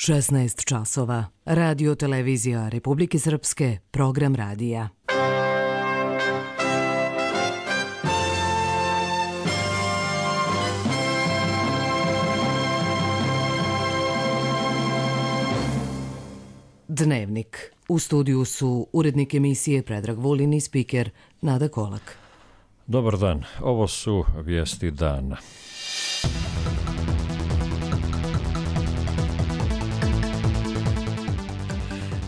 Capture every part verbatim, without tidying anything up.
šesnaest časova. Radio televizija Republike Srpske, program radija. Dnevnik. U studiju su urednik emisije Predrag Vulin i spiker Nada Kolak. Dobar dan, ovo su vijesti dana.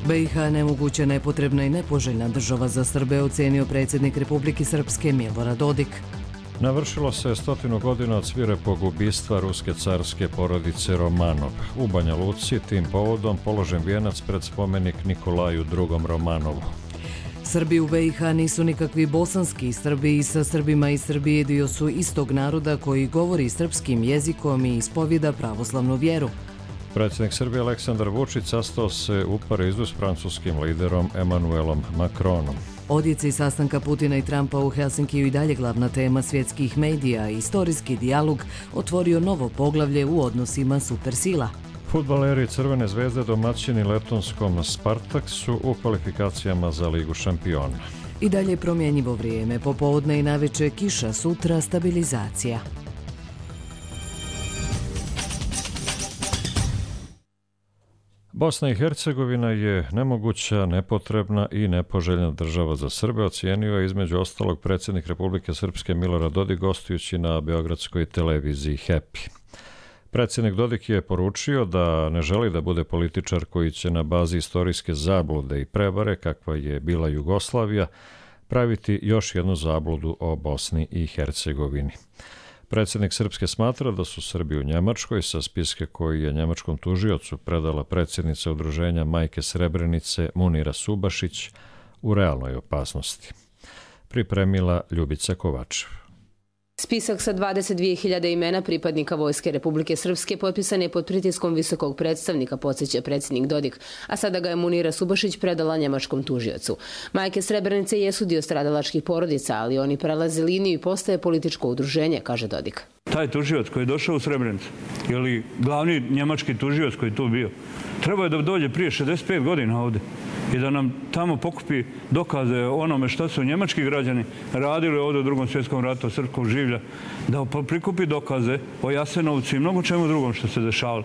B i H nemoguća, nepotrebna i nepoželjna država za Srbe, ocenio predsjednik Republike Srpske Milorad Dodik. Navršilo se stotinu godina od svirepog ubistva ruske carske porodice Romanov. U Banja Luci tim povodom položen vijenac pred spomenik Nikolaju drugom Romanovu. Srbi u B i H nisu nikakvi bosanski Srbi i sa Srbima iz Srbije dio su istog naroda koji govori srpskim jezikom i ispovjeda pravoslavnu vjeru. Predsjednik Srbije Aleksandar Vučić sastao se u Parizu s francuskim liderom Emmanuelom Macronom. Odjeci sastanka Putina i Trumpa u Helsinkiju i dalje glavna tema svjetskih medija. Istorijski dijalog otvorio novo poglavlje u odnosima supersila. Fudbaleri Crvene zvezde domaćini letonskom Spartaksu u kvalifikacijama za Ligu šampiona. I dalje promjenjivo vrijeme, popodne i navečer kiša, sutra stabilizacija. Bosna i Hercegovina je nemoguća, nepotrebna i nepoželjna država za Srbe, ocijenio je između ostalog predsjednik Republike Srpske Milorad Dodik gostujući na beogradskoj televiziji Happy. Predsjednik Dodik je poručio da ne želi da bude političar koji će na bazi istorijske zablude i prevare, kakva je bila Jugoslavija, praviti još jednu zabludu o Bosni i Hercegovini. Predsjednik Srpske smatra da su Srbi u Njemačkoj sa spiske koji je njemačkom tužiocu predala predsjednica udruženja Majke Srebrenice Munira Subašić u realnoj opasnosti. Pripremila Ljubica Kovačev. Spisak sa dvadeset dvije hiljade imena pripadnika Vojske Republike Srpske potpisan je pod pritiskom visokog predstavnika, podsjeća predsjednik Dodik, a sada ga je Munira Subašić predala njemačkom tužiocu. Majke Srebrenice jesu dio stradalačkih porodica, ali oni prelaze liniju i postaje političko udruženje, kaže Dodik. Taj tužioc koji je došao u Srebrenicu, ili glavni njemački tužioc koji je tu bio, trebao je da dođe prije šezdeset pet godina ovdje i da nam tamo pokupi dokaze o onome što su njemački građani radili ovdje u drugom svjetskom ratu srpskog življa, da prikupi dokaze o Jasenovcu i mnogo čemu drugom što se dešavalo.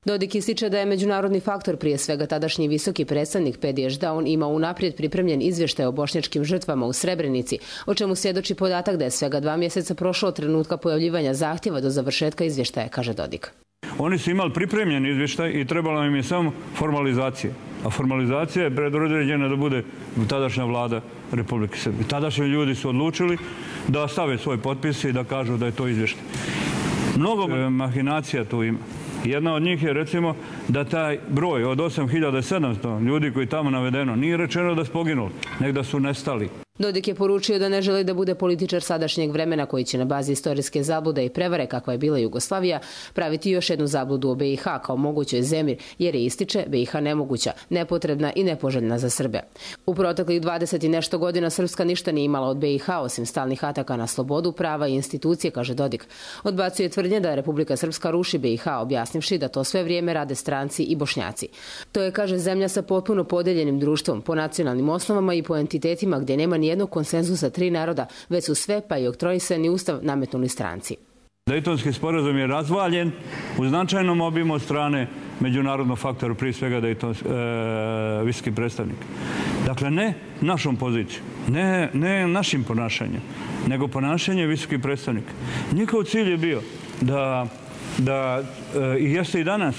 Dodik ističe da je međunarodni faktor, prije svega tadašnji visoki predstavnik Pediš, da on ima unaprijed pripremljen izvještaj o bošnjačkim žrtvama u Srebrenici, o čemu svjedoči podatak da je svega dva mjeseca prošlo od trenutka pojavljivanja zahtjeva do završetka izvještaja, kaže Dodik. Oni su imali pripremljen izvještaj i trebala im je samo formalizacija. A formalizacija je predodređena da bude tadašnja vlada Republike Srbije. Tadašnji ljudi su odlučili da stave svoj potpis i da kažu da je to izvještaj. Mnogo mahinacija tu ima. Jedna od njih je recimo da taj broj od osam hiljada sedamsto ljudi koji tamo navedeno nije rečeno da su poginuli, nego da su nestali. Dodik je poručio da ne želi da bude političar sadašnjeg vremena koji će na bazi istorijske zablude i prevare kakva je bila Jugoslavija praviti još jednu zabludu o B i H kao mogućoj zemlji, jer je ističe B i H nemoguća, nepotrebna i nepoželjna za Srbe. U proteklih dvadeset i nešto godina Srpska ništa nije imala od B i H osim stalnih ataka na slobodu, prava i institucije, kaže Dodik. Odbacuje tvrdnje da Republika Srpska ruši B i H, objasnivši da to sve vrijeme rade stranci i Bošnjaci. To je, kaže, zemlja sa potpuno podeljenim društvom, po nacionalnim osnovama i po entitetima gdje nema nijednog konsenzusa tri naroda, već su sve, pa i oktroisani ustav, nametnuli stranci. Dejtonski sporazum je razvaljen u značajnom obimu od strane međunarodnog faktora, prije svega Dejtonski e, visoki predstavnik. Dakle, ne našom pozicijom, ne, ne našim ponašanjem, nego ponašanje visokih predstavnika. Njihov cilj je bio da da i e, jeste i danas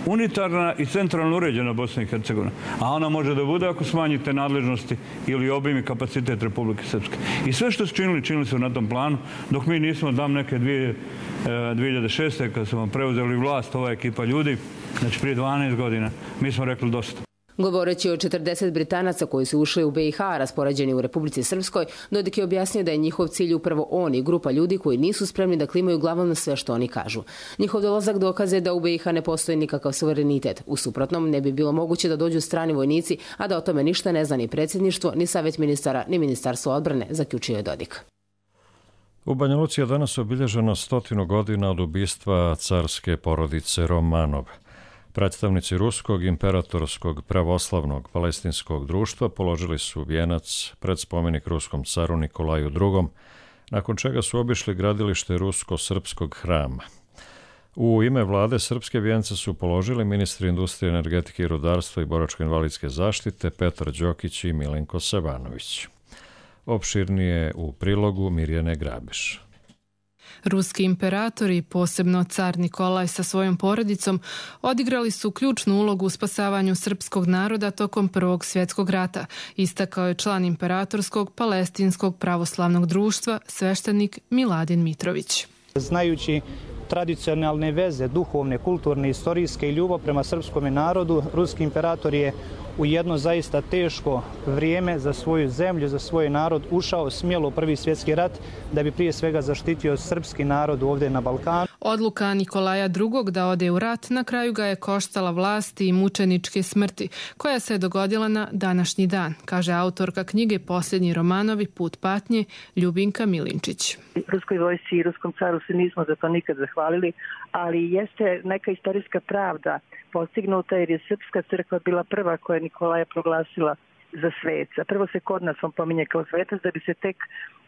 unitarna i centralno uređena Bosna i Hercegovina, a ona može da bude ako smanjite nadležnosti ili obim i kapacitet Republike Srpske. I sve što su činili, činili su na tom planu, dok mi nismo, dam neke dvije, dvije hiljade šeste. kad smo preuzeli vlast, ova ekipa ljudi, znači prije dvanaest godina, mi smo rekli dosta. Govoreći o četrdeset Britanaca koji su ušli u B i H, raspoređeni u Republici Srpskoj, Dodik je objasnio da je njihov cilj upravo on i grupa ljudi koji nisu spremni da klimaju glavom na sve što oni kažu. Njihov dolazak dokaze da u B i H ne postoji nikakav suverenitet. U suprotnom, ne bi bilo moguće da dođu strani vojnici, a da o tome ništa ne zna ni predsjedništvo, ni savjet ministara, ni ministarstvo odbrane, zaključio je Dodik. U Banja Luci je danas obilježeno stotinu godina od ubistva carske porodice Romanov. Predstavnici Ruskog imperatorskog pravoslavnog palestinskog društva položili su vijenac pred spomenik ruskom caru Nikolaju drugom, nakon čega su obišli gradilište rusko-srpskog hrama. U ime vlade srpske vijence su položili ministri industrije, energetike i rudarstva i boračko-invalidske zaštite Petar Đokić i Milenko Savanović. Opširnije u prilogu Mirjane Grabiš. Ruski imperatori, posebno car Nikolaj sa svojom porodicom, odigrali su ključnu ulogu u spasavanju srpskog naroda tokom Prvog svjetskog rata, istakao je član imperatorskog palestinskog pravoslavnog društva, sveštenik Miladin Mitrović. Znajući tradicionalne veze, duhovne, kulturne, istorijske i ljubav prema srpskom narodu, ruski imperator je u jedno zaista teško vrijeme za svoju zemlju, za svoj narod ušao smjelo u Prvi svjetski rat da bi prije svega zaštitio srpski narod ovdje na Balkanu. Odluka Nikolaja drugog da ode u rat na kraju ga je koštala vlasti i mučeničke smrti, koja se je dogodila na današnji dan, kaže autorka knjige Posljednji Romanovi, Put patnje, Ljubinka Milinčić. Ruskoj vojsci i ruskom caru se nismo za to nikad zahvalili, ali jeste neka istorijska pravda postignuta jer je Srpska crkva bila prva koja je Nikolaja proglasila za sveca. Prvo se kod nas on pominje kao svetac, da bi se tek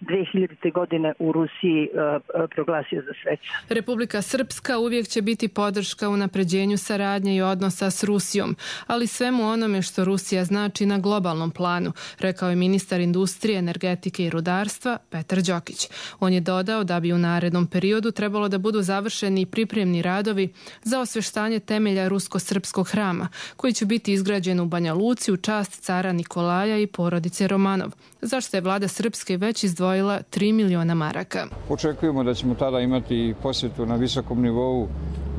dve hiljadite. godine u Rusiji uh, proglasio za sveca. Republika Srpska uvijek će biti podrška unapređenju saradnje i odnosa s Rusijom, ali svemu onome što Rusija znači na globalnom planu, rekao je ministar industrije, energetike i rudarstva Petar Đokić. On je dodao da bi u narednom periodu trebalo da budu završeni i pripremni radovi za osveštanje temelja rusko-srpskog hrama, koji će biti izgrađen u Banja Luci u čast cara Nikolaja i porodice Romanov, zašto je vlada Srpske već izdvojila tri miliona maraka. Očekujemo da ćemo tada imati posjetu na visokom nivou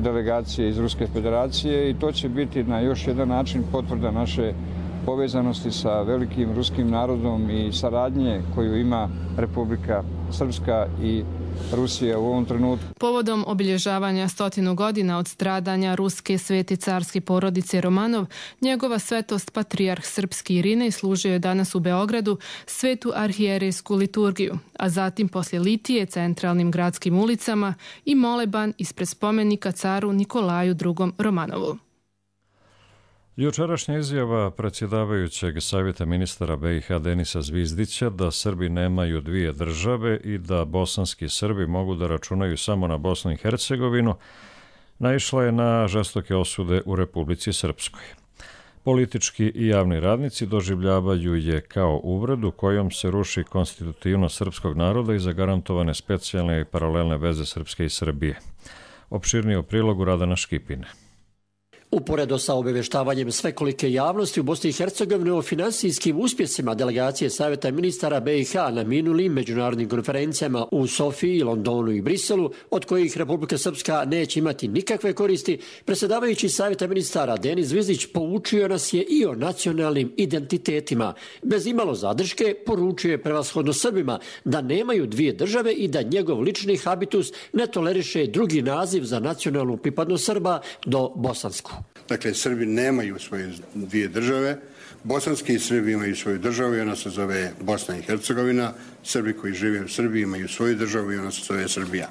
delegacije iz Ruske federacije i to će biti na još jedan način potvrda naše povezanosti sa velikim ruskim narodom i saradnje koju ima Republika Srpska i Rusija u ovom trenutku. Povodom obilježavanja stotinu godina od stradanja ruske svete carske porodice Romanov, njegova svetost patrijarh srpski Irinej služio je danas u Beogradu svetu arhijerejsku liturgiju, a zatim poslije litije centralnim gradskim ulicama i moleban ispred spomenika caru Nikolaju drugom Romanovu. Jučerašnja izjava predsjedavajućeg savjeta ministara B i H Denisa Zvizdića da Srbi nemaju dvije države i da bosanski Srbi mogu da računaju samo na Bosnu i Hercegovinu naišla je na žestoke osude u Republici Srpskoj. Politički i javni radnici doživljavaju je kao uvredu kojom se ruši konstitutivnost srpskog naroda i zagarantovane specijalne i paralelne veze Srpske i Srbije. Opširnije u prilogu Radana Škipine. Uporedo sa obavještavanjem svekolike javnosti u Bosni i Hercegovini o finansijskim uspjesima delegacije Savjeta ministara B i H na minulim međunarodnim konferencijama u Sofiji, Londonu i Briselu, od kojih Republika Srpska neće imati nikakve koristi, predsjedavajući Savjeta ministara Denis Zvizdić poučio nas je i o nacionalnim identitetima. Bez imalo zadrške poručio je prevashodno Srbima da nemaju dvije države i da njegov lični habitus ne toleriše drugi naziv za nacionalnu pripadnost Srba do bosansku. Dakle, Srbi nemaju svoje dvije države, bosanski Srbi imaju svoju državu i ona se zove Bosna i Hercegovina, Srbi koji žive u Srbiji imaju svoju državu i ona se zove Srbija.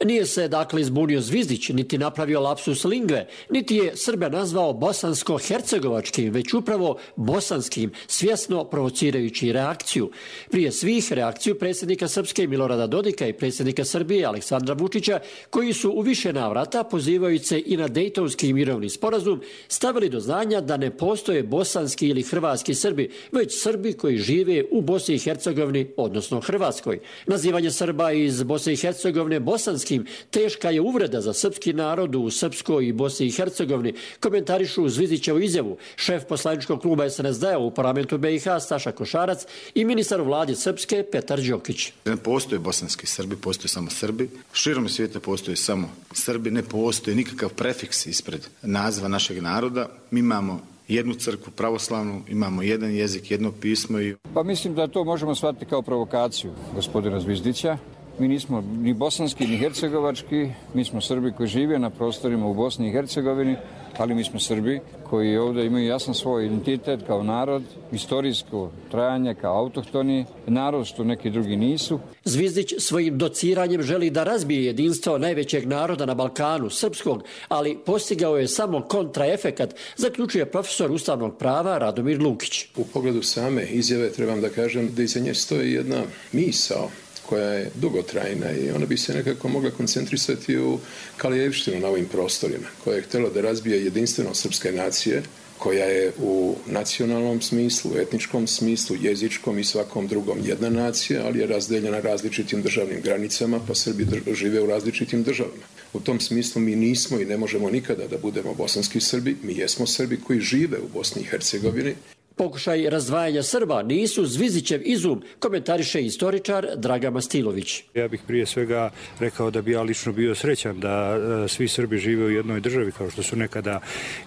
Nije se dakle izbunio Zvizdić, niti napravio lapsus lingve, niti je Srbe nazvao bosansko-hercegovačkim, već upravo bosanskim, svjesno provocirajući reakciju. Prije svih reakciju predsjednika Srpske Milorada Dodika i predsjednika Srbije Aleksandra Vučića, koji su u više navrata, pozivajući se i na Dejtonski mirovni sporazum, stavili do znanja da ne postoje bosanski ili hrvatski Srbi, već Srbi koji žive u Bosni i Hercegovini, odnosno Hrvatskoj. Nazivanje Srba iz Bosne i Hercegovine bosanski teška je uvreda za srpski narod u Srpskoj i Bosni i Hercegovini, komentarišu Zvizdićevu izjavu šef poslaničkog kluba S N S D-a u parlamentu B i H Staša Košarac i ministar u vladi Srpske Petar Đokić. Ne postoje bosanski Srbi, postoje samo Srbi. Širom svijeta postoje samo Srbi, ne postoji nikakav prefiks ispred naziva našeg naroda. Mi imamo jednu crkvu pravoslavnu, imamo jedan jezik, jedno pismo. I... Pa mislim da to možemo shvatiti kao provokaciju gospodina Zvizdića, Mi nismo ni bosanski, ni hercegovački, mi smo Srbi koji žive na prostorima u Bosni i Hercegovini, ali mi smo Srbi koji ovdje imaju jasan svoj identitet kao narod, istorijsko trajanje kao autohtoni narod, što neki drugi nisu. Zvizdić svojim dociranjem želi da razbije jedinstvo najvećeg naroda na Balkanu, srpskog, ali postigao je samo kontraefekat, zaključuje profesor ustavnog prava Radomir Lukić. U pogledu same izjave trebam da kažem da iza nje stoji jedna misao koja je dugotrajna i ona bi se nekako mogla koncentrisati u Kalijevštinu na ovim prostorima, koja je htjela da razbije jedinstvenost srpske nacije, koja je u nacionalnom smislu, etničkom smislu, jezičkom i svakom drugom jedna nacija, ali je razdeljena različitim državnim granicama, pa Srbi žive u različitim državama. U tom smislu mi nismo i ne možemo nikada da budemo bosanski Srbi, mi jesmo Srbi koji žive u Bosni i Hercegovini. Pokušaj razdvajanja Srba nisu Zvizdićev izum, komentariše istoričar Dragan Mastilović. Ja bih prije svega rekao da bi ja lično bio srećan da svi Srbi žive u jednoj državi kao što su nekada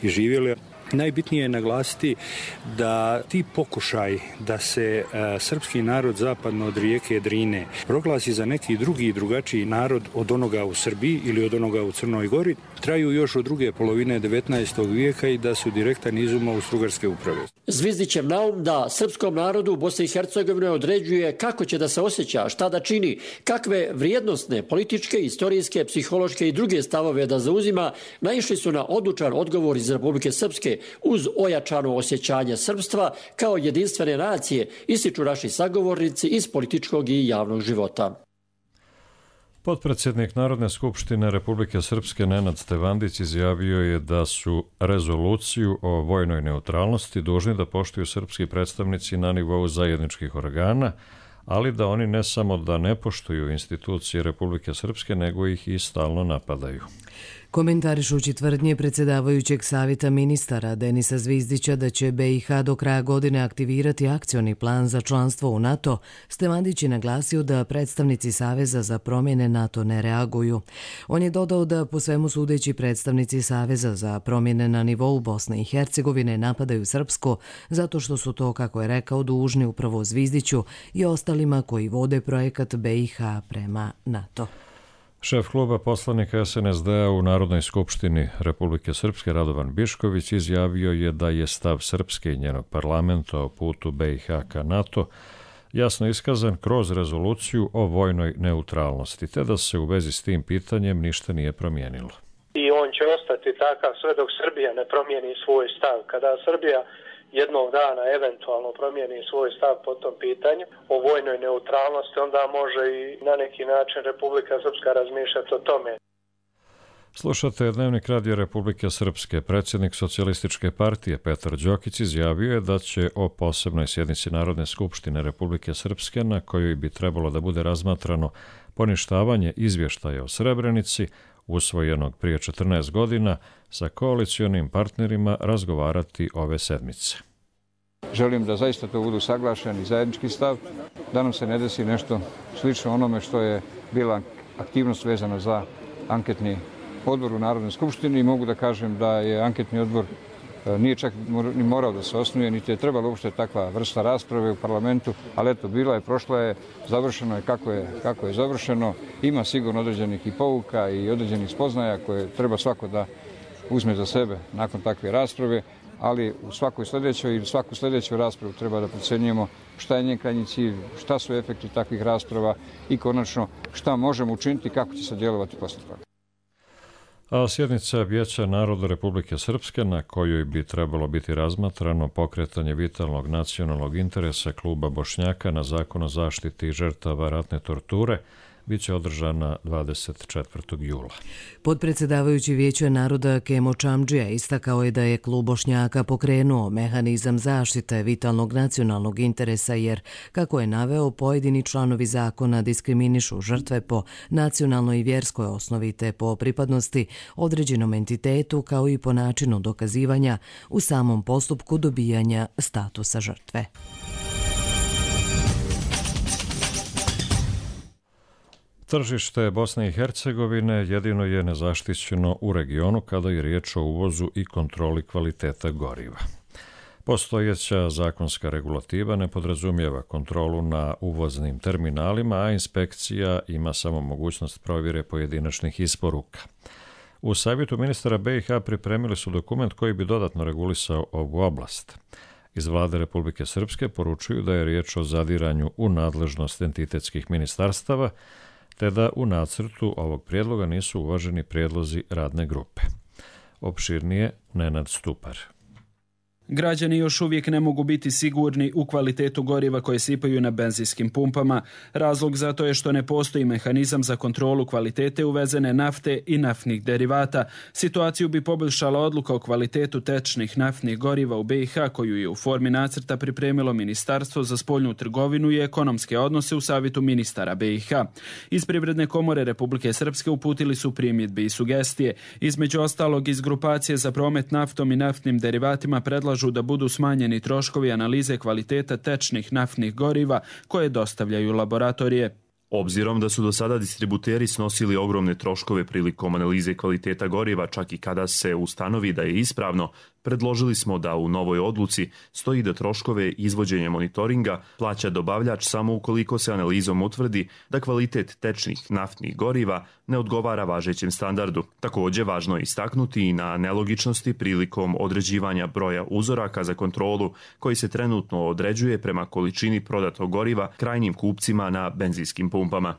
i živjeli. Najbitnije je naglasiti da ti pokušaj da se a, srpski narod zapadno od rijeke Drine proglasi za neki drugi i drugačiji narod od onoga u Srbiji ili od onoga u Crnoj Gori traju još od druge polovine devetnaestog vijeka i da su direktan izum Austrougarske uprave. Zvizdićev naum da srpskom narodu u Bosni i Hercegovini određuje kako će da se osjeća, šta da čini, kakve vrijednosne, političke, istorijske, psihološke i druge stavove da zauzima, naišli su na odlučan odgovor iz Republike Srpske uz ojačano osjećanje srpstva kao jedinstvene nacije, ističu naši sagovornici iz političkog i javnog života. Potpredsjednik Narodne skupštine Republike Srpske Nenad Stevandić izjavio je da su rezoluciju o vojnoj neutralnosti dužni da poštuju srpski predstavnici na nivou zajedničkih organa, ali da oni ne samo da ne poštuju institucije Republike Srpske, nego ih i stalno napadaju. Komentarišući tvrdnje predsjedavajućeg savjeta ministara Denisa Zvizdića da će B i H do kraja godine aktivirati akcioni plan za članstvo u NATO, Stevandić je naglasio da predstavnici Saveza za promjene NATO ne reaguju. On je dodao da po svemu sudeći predstavnici Saveza za promjene na nivou Bosne i Hercegovine napadaju srpsko zato što su to, kako je rekao, dužni upravo Zvizdiću i ostalima koji vode projekat B i H prema NATO. Šef kluba poslanika S N S D-a u Narodnoj skupštini Republike Srpske Radovan Bišković izjavio je da je stav Srpske i njenog parlamenta o putu B i H ka NATO jasno iskazan kroz rezoluciju o vojnoj neutralnosti, te da se u vezi s tim pitanjem ništa nije promijenilo. I on će ostati takav sve dok Srbija ne promijeni svoj stav. Kada Srbija jednog dana eventualno promijeni svoj stav po tom pitanju o vojnoj neutralnosti, onda može i na neki način Republika Srpska razmišljati o tome. Slušate Dnevnik radija Republike Srpske. Predsjednik Socijalističke partije Petar Đokić izjavio je da će o posebnoj sjednici Narodne skupštine Republike Srpske, na kojoj bi trebalo da bude razmatrano poništavanje izvještaja o Srebrenici, usvojenog prije četrnaest godina, sa koalicionim partnerima razgovarati ove sedmice. Želim da zaista to budu saglašeni zajednički stav, da nam se ne desi nešto slično onome što je bila aktivnost vezana za anketni odbor u Narodnoj skupštini i mogu da kažem da je anketni odbor nije čak ni morao da se osnuje, niti je trebalo uopšte takva vrsta rasprave u parlamentu, ali eto, bila je, prošla je, završeno je kako je, kako je završeno. Ima sigurno određenih i pouka i određenih spoznaja koje treba svako da uzme za sebe nakon takve rasprave, ali u svakoj sljedećoj ili svaku sljedeću raspravu treba da procenjujemo šta je njen krajnji cilj, šta su efekti takvih rasprava i konačno šta možemo učiniti, kako će se djelovati posle toga. A sjednica Vijeća naroda Republike Srpske, na kojoj bi trebalo biti razmatrano pokretanje vitalnog nacionalnog interesa kluba Bošnjaka na zakon o zaštiti žrtava ratne torture, biće održana dvadeset četvrtog jula. Podpredsjedavajući Vijeća naroda Kemo Čamdžija istakao je da je klub Bošnjaka pokrenuo mehanizam zaštite vitalnog nacionalnog interesa jer, kako je naveo, pojedini članovi zakona diskriminišu žrtve po nacionalnoj i vjerskoj osnovi te po pripadnosti određenom entitetu kao i po načinu dokazivanja u samom postupku dobijanja statusa žrtve. Tržište Bosne i Hercegovine jedino je nezaštićeno u regionu kada je riječ o uvozu i kontroli kvaliteta goriva. Postojeća zakonska regulativa ne podrazumijeva kontrolu na uvoznim terminalima, a inspekcija ima samo mogućnost provjere pojedinačnih isporuka. U savjetu ministara B i H pripremili su dokument koji bi dodatno regulisao ovu oblast. Iz vlade Republike Srpske poručuju da je riječ o zadiranju u nadležnost entitetskih ministarstava, te da u nacrtu ovog prijedloga nisu uvaženi prijedlozi radne grupe. Opširnije Nenad Stupar. Građani još uvijek ne mogu biti sigurni u kvalitetu goriva koje sipaju na benzinskim pumpama. Razlog za to je što ne postoji mehanizam za kontrolu kvalitete uvezene nafte i naftnih derivata. Situaciju bi poboljšala odluka o kvalitetu tečnih naftnih goriva u B i H koju je u formi nacrta pripremilo Ministarstvo za spoljnu trgovinu i ekonomske odnose u savjetu ministara B i H. Iz Privredne komore Republike Srpske uputili su primjedbe i sugestije. Između ostalog iz grupacije za promet naftom i naftnim derivatima predlažu da budu smanjeni troškovi analize kvaliteta tečnih naftnih goriva koje dostavljaju laboratorije. Obzirom da su do sada distributeri snosili ogromne troškove prilikom analize kvaliteta goriva, čak i kada se ustanovi da je ispravno, predložili smo da u novoj odluci stoji da troškove izvođenja monitoringa plaća dobavljač samo ukoliko se analizom utvrdi da kvalitet tečnih naftnih goriva ne odgovara važećem standardu. Također važno je istaknuti i na nelogičnosti prilikom određivanja broja uzoraka za kontrolu koji se trenutno određuje prema količini prodatog goriva krajnjim kupcima na benzinskim pumpama.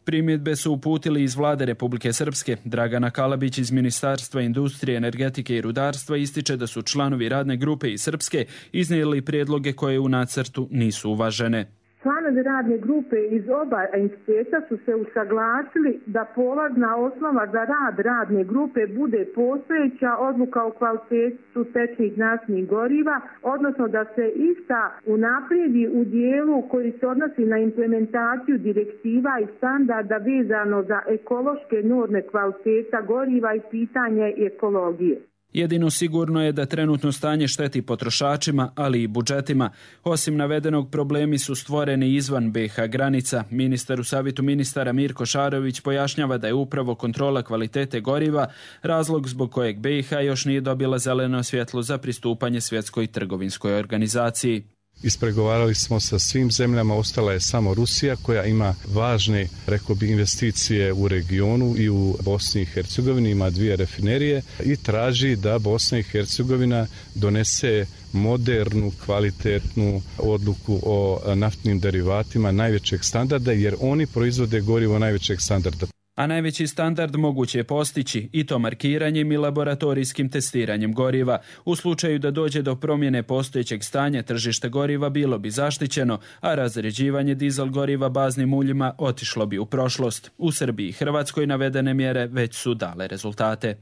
Primjedbe su uputili iz vlade Republike Srpske. Dragana Kalabić iz Ministarstva industrije, energetike i rudarstva ističe da su članovi radne grupe iz Srpske iznijeli prijedloge koje u nacrtu nisu uvažene. Članovi radne grupe iz oba entiteta su se usaglasili da polazna osnova za rad radne grupe bude postojeća odluka o kvalitetu tečnih naftnih goriva, odnosno da se ista unaprijedi u dijelu koji se odnosi na implementaciju direktiva i standarda vezano za ekološke norme kvaliteta goriva i pitanje ekologije. Jedino sigurno je da trenutno stanje šteti potrošačima, ali i budžetima. Osim navedenog, problemi su stvoreni izvan B i H granica. Ministar u savjetu ministara Mirko Šarović pojašnjava da je upravo kontrola kvalitete goriva razlog zbog kojeg B i H još nije dobila zeleno svjetlo za pristupanje Svjetskoj trgovinskoj organizaciji. Ispregovarali smo sa svim zemljama, ostala je samo Rusija koja ima važne, rekao bi, investicije u regionu i u Bosni i Hercegovini, ima dvije rafinerije i traži da Bosna i Hercegovina donese modernu, kvalitetnu odluku o naftnim derivatima najvećeg standarda, jer oni proizvode gorivo najvećeg standarda. A najveći standard moguće je postići i to markiranjem i laboratorijskim testiranjem goriva. U slučaju da dođe do promjene postojećeg stanja, tržište goriva bilo bi zaštićeno, a razređivanje dizel goriva baznim uljima otišlo bi u prošlost. U Srbiji i Hrvatskoj navedene mjere već su dale rezultate.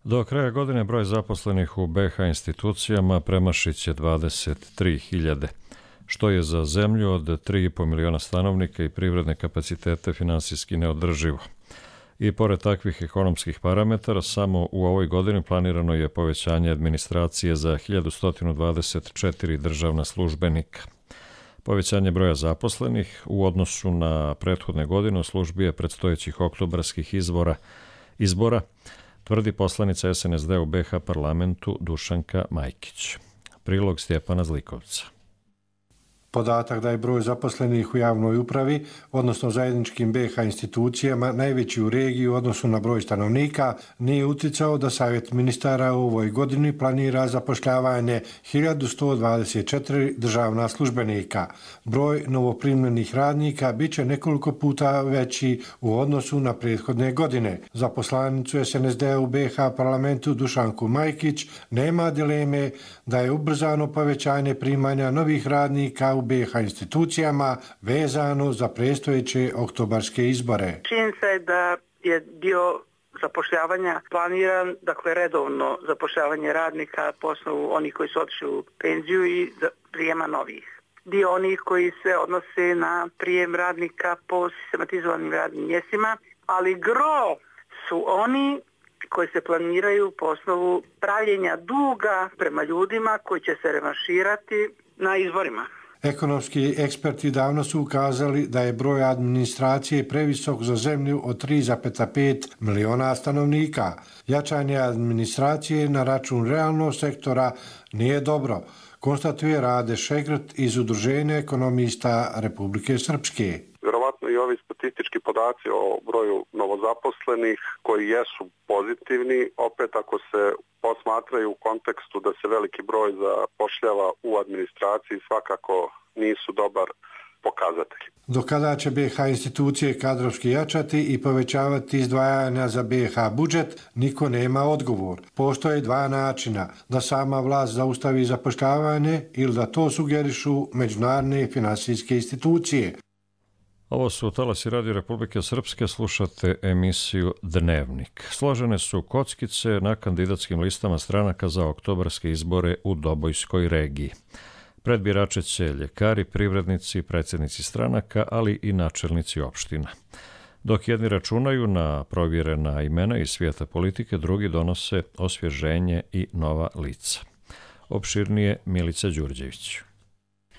Do kraja godine broj zaposlenih u B i H institucijama premašit će dvadeset tri hiljade. Što je za zemlju od tri i po miliona stanovnika i privredne kapacitete finansijski neodrživo. I pored takvih ekonomskih parametara, samo u ovoj godini planirano je povećanje administracije za hiljadu sto dvadeset četiri državna službenika. Povećanje broja zaposlenih u odnosu na prethodne godine u službi je predstojećih oktobarskih izbora, izbora, tvrdi poslanica S N S D u B i H parlamentu Dušanka Majkić. Prilog Stjepana Zlikovca. Podatak da je broj zaposlenih u javnoj upravi, odnosno zajedničkim B i H institucijama, najveći u regiji u odnosu na broj stanovnika, nije uticao da Savjet ministara u ovoj godini planira zapošljavanje hiljadu sto dvadeset četiri državna službenika. Broj novoprimljenih radnika bit će nekoliko puta veći u odnosu na prethodne godine. Za poslanicu S N S D u B i H parlamentu Dušanku Majkić nema dileme da je ubrzano povećanje primanja novih radnika u B i H institucijama vezano za predstojeće oktobarske izbore. Činjenica je da je dio zapošljavanja planiran, dakle redovno zapošljavanje radnika po osnovu onih koji su otišli u penziju i prijema novih. Dio onih koji se odnose na prijem radnika po sistematizovanim radnim mjestima, ali gro su oni koji se planiraju po osnovu pravljenja duga prema ljudima koji će se revanširati na izborima. Ekonomski eksperti davno su ukazali da je broj administracije previsok za zemlju od tri zarez pet miliona stanovnika. Jačanje administracije na račun realnog sektora nije dobro, konstatuje Rade Šegrt iz Udruženja ekonomista Republike Srpske. Vjerovatno i ovi statistički podaci o broju novozaposlenih koji jesu pozitivni, opet ako se posmatraju u kontekstu da se veliki broj zapošljava u administraciji, svakako nisu dobar pokazatelj. Do kada će B iH institucije kadrovski jačati i povećavati izdvajanja za B iH budžet, niko nema odgovor. Postoje dva načina, da sama vlast zaustavi zapošljavanje ili da to sugerišu međunarodne finansijske institucije. Ovo su Talasi Radio Republike Srpske, slušate emisiju Dnevnik. Složene su kockice na kandidatskim listama stranaka za oktobarske izbore u Dobojskoj regiji. Pred birače će ljekari, privrednici, predsjednici stranaka, ali i načelnici opština. Dok jedni računaju na provjerena imena iz svijeta politike, drugi donose osvježenje i nova lica. Opširnije Milica Đurđević.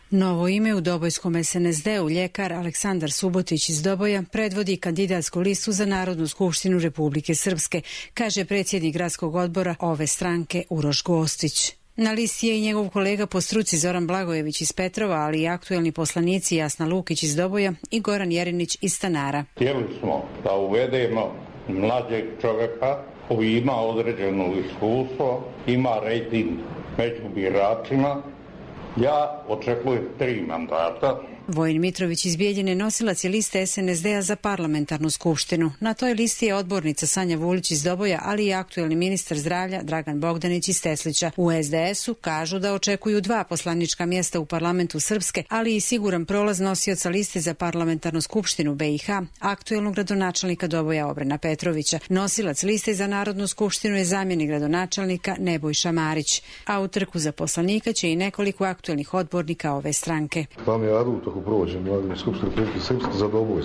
Novo ime u Dobojskom es en es de-u, ljekar Aleksandar Subotić iz Doboja, predvodi kandidatsku listu za Narodnu skupštinu Republike Srpske, kaže predsjednik gradskog odbora ove stranke Uroš Gostić. Na listi je i njegov kolega po struci Zoran Blagojević iz Petrova, ali i aktuelni poslanici Jasna Lukić iz Doboja i Goran Jerinić iz Stanara. Htjeli smo da uvedemo mlađeg čovjeka koji ima određeno iskustvo, ima rejting među biračima. Ja očekujem tri mandata. Vojin Mitrović iz Bijeljine nosilac je liste es en es de-a za parlamentarnu skupštinu. Na toj listi je odbornica Sanja Vulić iz Doboja, ali i aktuelni ministar zdravlja Dragan Bogdanić iz Teslića. U es de esu kažu da očekuju dva poslanička mjesta u parlamentu Srpske, ali i siguran prolaz nosioca liste za parlamentarnu skupštinu be i ha, aktuelnog gradonačelnika Doboja Obrena Petrovića. Nosilac liste za Narodnu skupštinu je zamjenik gradonačelnika Nebojša Marić. A u trku za poslanika će i nekoliko aktuelnih odbornika ove stranke.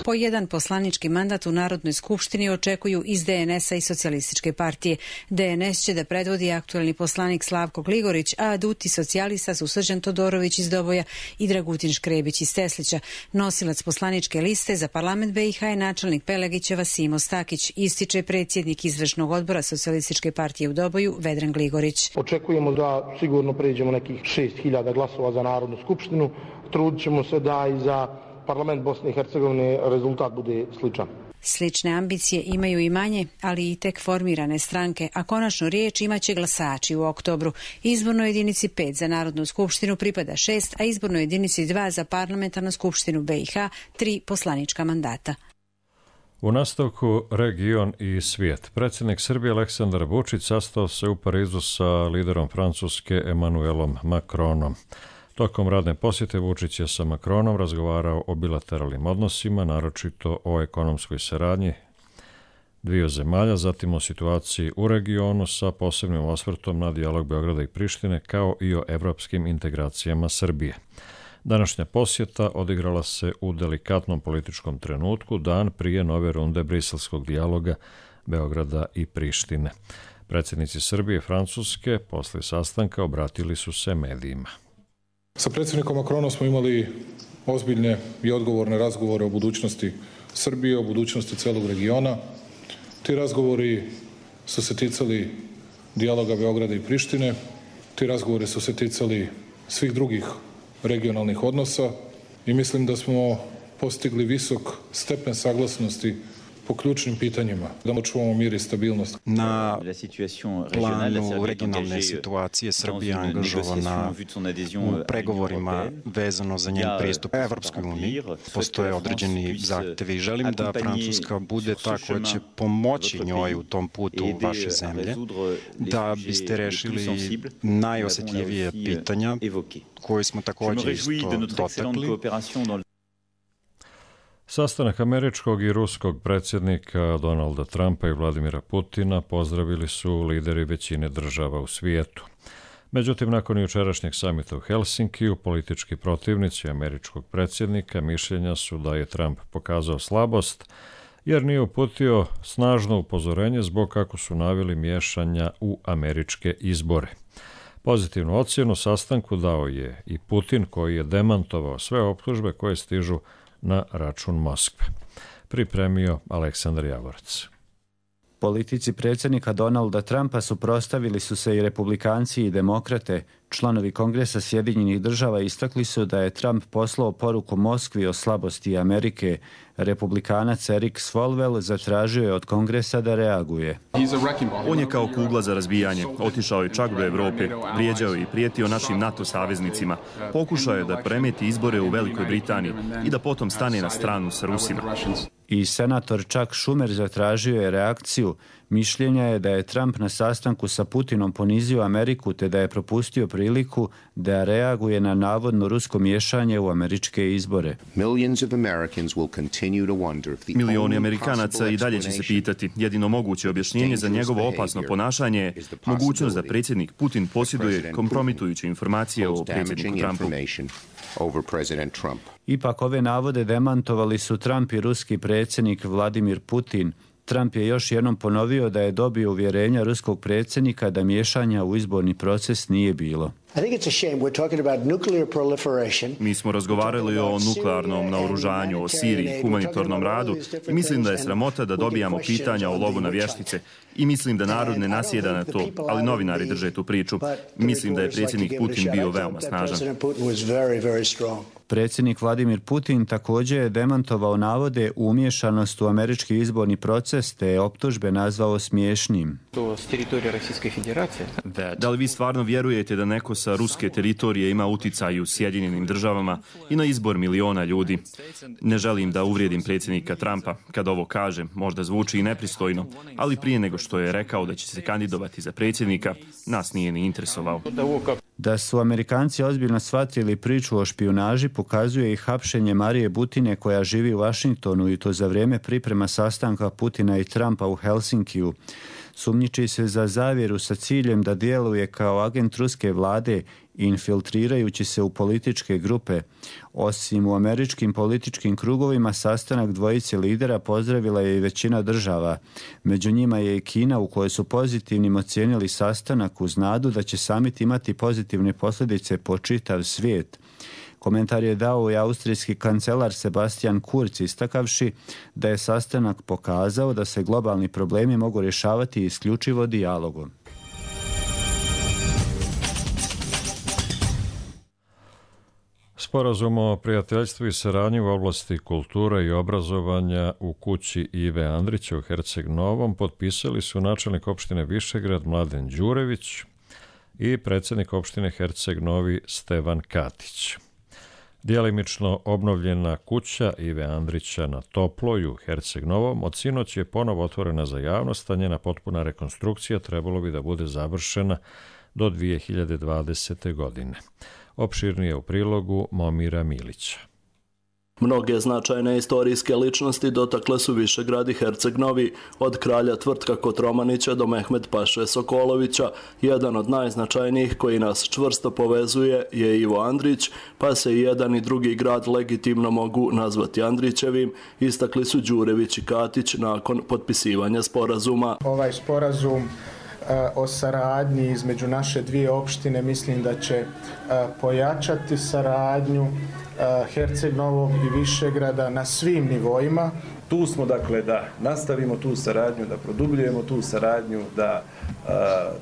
Po jedan poslanički mandat u Narodnoj skupštini očekuju iz de en esa i Socijalističke partije. de en es će da predvodi aktuelni poslanik Slavko Gligorić, a aduti socijalista su Srđan Todorović iz Doboja i Dragutin Škrebić iz Teslića. Nosilac poslaničke liste za parlament be i ha je načelnik Pelegićeva Simo Stakić, ističe predsjednik izvršnog odbora Socijalističke partije u Doboju Vedran Gligorić. Očekujemo da sigurno pređemo nekih šest hiljada glasova za Narodnu skupštinu. Trudit ćemo se da i za parlament Bosne i Hercegovine rezultat bude sličan. Slične ambicije imaju i manje, ali i tek formirane stranke, a konačno riječ imaće glasači u oktobru. Izbornoj jedinici pet za Narodnu skupštinu pripada šest, a izbornoj jedinici dva za parlamentarnu skupštinu be i ha tri poslanička mandata. U nastavku region i svijet. Predsjednik Srbije Aleksandar Vučić sastao se u Parizu sa liderom Francuske Emmanuelom Macronom. Tokom radne posjete Vučić je sa Macronom razgovarao o bilateralnim odnosima, naročito o ekonomskoj saradnji dviju zemalja, zatim o situaciji u regionu sa posebnim osvrtom na dijalog Beograda i Prištine, kao i o evropskim integracijama Srbije. Današnja posjeta odigrala se u delikatnom političkom trenutku, dan prije nove runde briselskog dijaloga Beograda i Prištine. Predsjednici Srbije i Francuske posle sastanka obratili su se medijima. Sa predsjednikom Macronom smo imali ozbiljne i odgovorne razgovore o budućnosti Srbije, o budućnosti celog regiona. Ti razgovori su se ticali dijaloga Beograda i Prištine, ti razgovori su se ticali svih drugih regionalnih odnosa i mislim da smo postigli visok stepen saglasnosti po ključnim pitanjima, da očuvamo mir i stabilnost. Na planu regionalne situacije Srbija je angažovana u pregovorima vezano za njen pristup Evropskoj uniji. Postoje određeni zahtjevi i želim da Francuska bude ta koja će pomoći njoj u tom putu vaše zemlje, da biste rešili najosjetljivije pitanja koje smo također isto dotakli. Sastanak američkog i ruskog predsjednika Donalda Trumpa i Vladimira Putina pozdravili su lideri većine država u svijetu. Međutim, nakon jučerašnjeg samita u Helsinkiju, politički protivnici američkog predsjednika mišljenja su da je Trump pokazao slabost jer nije uputio snažno upozorenje zbog, kako su naveli, miješanja u američke izbore. Pozitivnu ocjenu sastanku dao je i Putin, koji je demantovao sve optužbe koje stižu na račun Moskve. Pripremio Aleksandar Javorac. Politici predsjednika Donalda Trumpa suprotstavili su se i republikanci i demokrate. Članovi Kongresa Sjedinjenih država istakli su da je Trump poslao poruku Moskvi o slabosti Amerike. Republikanac Eric Swalwell zatražio je od Kongresa da reaguje. On je kao kugla za razbijanje. Otišao je čak do Evrope, vrijeđao i prijetio našim NATO saveznicima. Pokušao je da premeti izbore u Velikoj Britaniji i da potom stane na stranu sa Rusima. I senator Chuck Schumer zatražio je reakciju. Mišljenja je da je Trump na sastanku sa Putinom ponizio Ameriku te da je propustio priliku da reaguje na navodno rusko miješanje u američke izbore. Milioni Amerikanaca i dalje će se pitati. Jedino moguće objašnjenje za njegovo opasno ponašanje je mogućnost da predsjednik Putin posjeduje kompromitujuće informacije o predsjedniku Trumpu. Ipak ove navode demantovali su Trump i ruski predsjednik Vladimir Putin. Trump je još jednom ponovio da je dobio uvjerenja ruskog predsjednika da miješanja u izborni proces nije bilo. Mi smo razgovarali o nuklearnom naoružanju, o Siriji, humanitarnom radu i mislim da je sramota da dobijamo pitanja o lovu na vještice i mislim da narod ne nasjeda na to, ali novinari drže tu priču. Mislim da je predsjednik Putin bio veoma snažan. Predsjednik Vladimir Putin također je demantovao navode u umješanost u američki izborni proces te je optužbe nazvao smiješnim. Da li vi stvarno vjerujete da neko sa ruske teritorije ima uticaj u Sjedinjenim državama i na izbor miliona ljudi? Ne želim da uvrijedim predsjednika Trumpa. Kad ovo kažem, možda zvuči i nepristojno, ali prije nego što je rekao da će se kandidovati za predsjednika, nas nije ni interesovao. Da su Amerikanci ozbiljno shvatili priču o špijunaži pokazuje i hapšenje Marije Butine koja živi u Washingtonu i to za vrijeme priprema sastanka Putina i Trumpa u Helsinkiju. Sumnjiči se za zavjeru sa ciljem da djeluje kao agent ruske vlade infiltrirajući se u političke grupe. Osim u američkim političkim krugovima, sastanak dvojice lidera pozdravila je i većina država. Među njima je i Kina, u kojoj su pozitivnim ocijenili sastanak uz nadu da će samit imati pozitivne posljedice po čitav svijet. Komentar je dao i austrijski kancelar Sebastian Kurz, istakavši da je sastanak pokazao da se globalni problemi mogu rješavati isključivo dijalogom. Sporazum o prijateljstvu i saradnji u oblasti kulture i obrazovanja u kući Ive Andrića u Herceg Novom potpisali su načelnik opštine Višegrad Mladen Đurević i predsjednik opštine Herceg Novi Stevan Katić. Djelimično obnovljena kuća Ive Andrića na Toploj u Herceg Novom od sinoć je ponovo otvorena za javnost, a njena potpuna rekonstrukcija trebalo bi da bude završena do dvije hiljade dvadesete. godine. Opširnije u prilogu Momira Milića. Mnoge značajne istorijske ličnosti dotakle su Višegrad i Herceg Novi, od kralja Tvrtka Kotromanića do Mehmed Paše Sokolovića. Jedan od najznačajnijih koji nas čvrsto povezuje je Ivo Andrić, pa se i jedan i drugi grad legitimno mogu nazvati Andrićevim, istakli su Đurević i Katić nakon potpisivanja sporazuma. Ovaj sporazum o saradnji između naše dvije opštine mislim da će pojačati saradnju Herceg Novog i Višegrada na svim nivoima. Tu smo dakle da nastavimo tu saradnju, da produbljujemo tu saradnju, da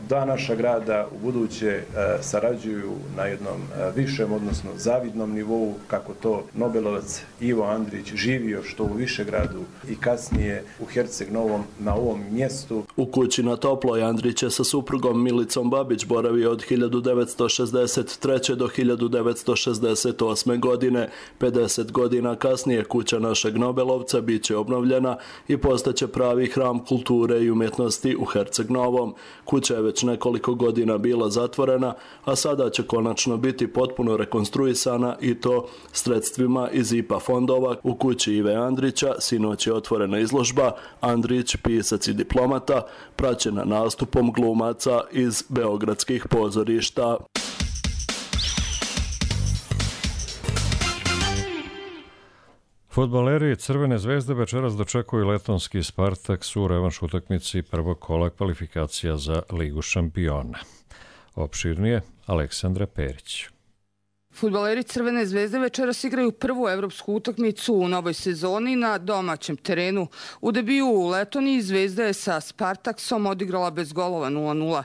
dva naša grada u buduće sarađuju na jednom višem, odnosno zavidnom nivou, kako to Nobelovac Ivo Andrić živio što u Višegradu i kasnije u Herceg Novom na ovom mjestu. U kući na Toploj Andrić je sa suprugom Milicom Babić boravio od hiljadu devetsto šezdeset treće. do hiljadu devetsto šezdeset osme. godine. pedeset godina kasnije kuća našeg Nobelovca bit će obnovljena i postaće pravi hram kulture i umjetnosti u Herceg Novom. Kuća je već nekoliko godina bila zatvorena, a sada će konačno biti potpuno rekonstruisana i to sredstvima iz I P A fondova. U kući Ive Andrića sinoć je otvorena izložba Andrić, pisac i diplomata, praćena nastupom glumaca iz beogradskih pozorišta. Fudbaleri Crvene zvezde večeras dočekuju letonski Spartaks u revanš utakmici prvog kola kvalifikacija za Ligu šampiona. Opširnije Aleksandra Perić. Fudbaleri Crvene zvezde večeras igraju prvu evropsku utakmicu u novoj sezoni na domaćem terenu. U debiju u Letoniji Zvezda je sa Spartaksom odigrala bez golova nula nula.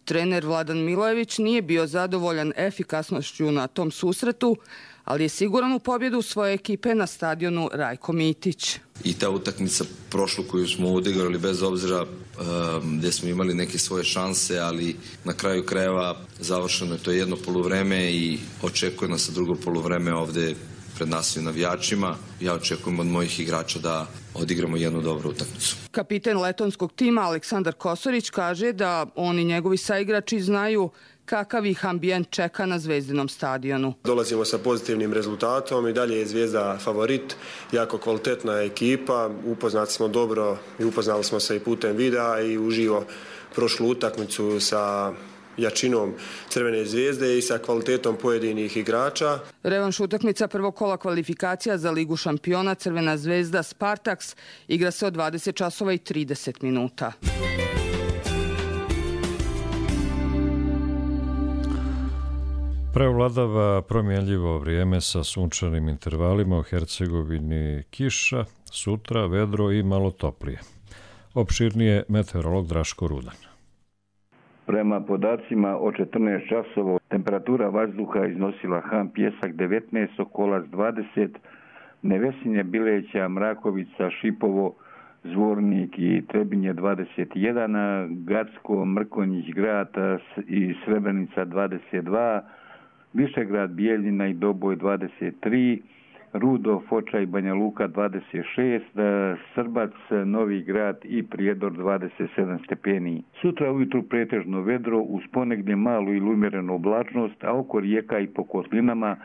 Trener Vladan Milojević nije bio zadovoljan efikasnošću na tom susretu, ali je siguran u pobjedu svoje ekipe na stadionu Rajko Mitić. I ta utakmica prošlu koju smo odigrali bez obzira um, gdje smo imali neke svoje šanse, ali na kraju krajeva završeno je to jedno poluvreme i očekuje nas drugo poluvreme ovdje pred nas i navijačima. Ja očekujem od mojih igrača da odigramo jednu dobru utakmicu. Kapiten letonskog tima Aleksandar Kosorić kaže da oni njegovi saigrači znaju kakav ih ambijent čeka na Zvezdinom stadionu. Dolazimo sa pozitivnim rezultatom i dalje je Zvezda favorit, jako kvalitetna ekipa, upoznati smo dobro i upoznali smo se i putem videa i uživo prošlu utakmicu sa jačinom Crvene zvezde i sa kvalitetom pojedinih igrača. Revanš utakmica prvog kola kvalifikacija za Ligu šampiona Crvena zvezda Spartaks igra se od dvadeset časova i trideset minuta. Prevladava promjenljivo vrijeme sa sunčanim intervalima, u Hercegovini kiša, sutra vedro i malo toplije. Opširnije meteorolog Draško Rudan. Prema podacima od četrnaest časova temperatura vazduha iznosila Han Pjesak devetnaest, Sokolac dvadeset, Nevesinje, Bileća, Mrakovica, Šipovo, Zvornik i Trebinje dvadeset jedan, Gacko, Mrkonjić, Grad i Srebrenica dvadeset dva, Višegrad, Bijeljina i Doboj dvadeset tri, Rudo, Foča i Banja Luka dvadeset šest, Srbac, Novi Grad i Prijedor dvadeset sedam stepeni. Sutra ujutru pretežno vedro, uz ponegdje malu ili umjerenu oblačnost, a oko rijeka i po kotlinama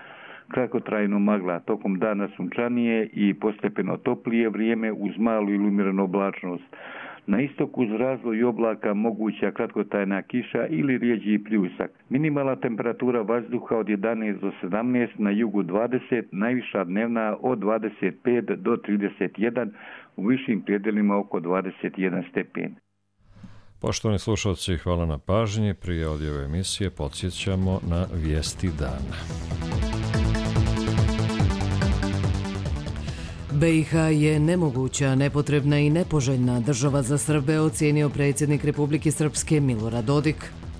kratkotrajno magla. Tokom dana sunčanije i postepeno toplije vrijeme uz malu ili umjerenu oblačnost. Na istoku uz razvoj oblaka moguća kratkotrajna kiša ili rijeđi pljusak. Minimalna temperatura vazduha od jedanaest do sedamnaest, na jugu dvadeset, najviša dnevna od dvadeset pet do trideset jedan, u višim predjelima oko dvadeset jedan stepen. Poštovani slušalci, hvala na pažnji. Prije odjave emisije podsjećamo na vijesti dana. B i H je nemoguća, nepotrebna i nepoželjna država za Srbe, ocijenio predsjednik Republike Srpske Milorad Dodik.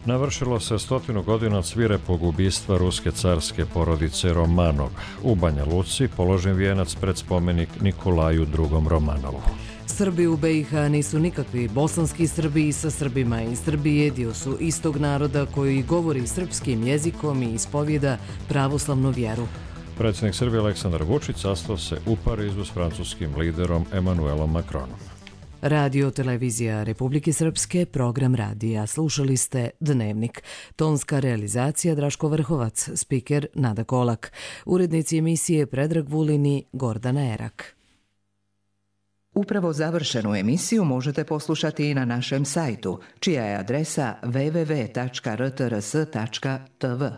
Navršilo se stotinu godina od svirepog ubistva ruske carske porodice Romanov. U Banja Luci položen vijenac pred spomenik Nikolaju drugom Romanovu. Srbi u B i H nisu nikakvi bosanski Srbi i sa Srbima i Srbije dio su istog naroda koji govori srpskim jezikom i ispovjeda pravoslavnu vjeru. Predsjednik Srbije Aleksandar Vučić sastao se u Parizu s francuskim liderom Emanuelom Macronom. Radio televizija Republike Srpske, program radija. Slušali ste Dnevnik. Tonska realizacija Draško Vrhovac, spiker Nada Kolak. Urednici emisije Predrag Vulin i Gordana Erak. Upravo završenu emisiju možete poslušati i na našem sajtu, čija je adresa w w w tačka r t r s tačka t v.